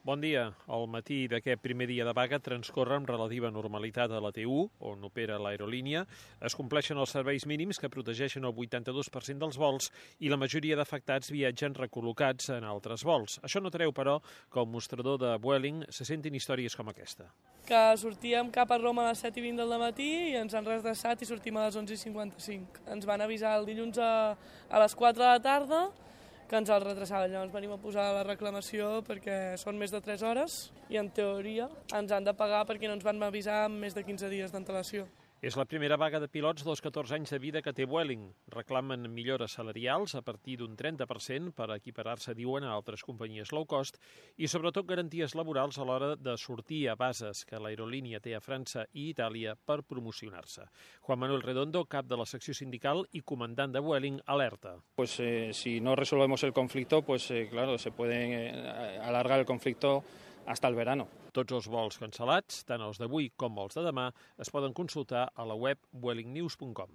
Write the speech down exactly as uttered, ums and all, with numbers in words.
Bon dia. El matí d'aquest primer dia de vaga transcorre amb relativa normalitat a la T u, on opera l'aerolínia. Es compleixen els serveis mínims que protegeixen el vuitanta-dos per cent dels vols i la majoria d'afectats viatgen recol·locats en altres vols. Això no treu, però, que el mostrador de Vueling se sentin històries com aquesta. Que sortíem cap a Roma a les set i vint del matí i ens han redreçat i sortim a les onze i cinquanta-cinc. Ens van avisar el dilluns a, a les quatre de la tarda que ens el retrassaven. Llavors venim a posar la reclamació perquè són més de tres hores i, en teoria, ens han de pagar perquè no ens van avisar amb més de quinze dies d'antelació. És la primera vaga de pilots dels catorze anys de vida que té Vueling. Reclamen millores salarials a partir d'un trenta per cent per equiparar-se, diuen, a altres companyies low cost i, sobretot, garanties laborals a l'hora de sortir a bases que l'aerolínia té a França i Itàlia per promocionar-se. Juan Manuel Redondo, cap de la secció sindical i comandant de Vueling, alerta. Pues eh, si no resolvemos el conflicto, pues eh, claro, se puede eh, alargar el conflicto hasta el verano. Tots els vols cancel·lats, tant els d'avui com els de demà, es poden consultar a la web vueling news punt com.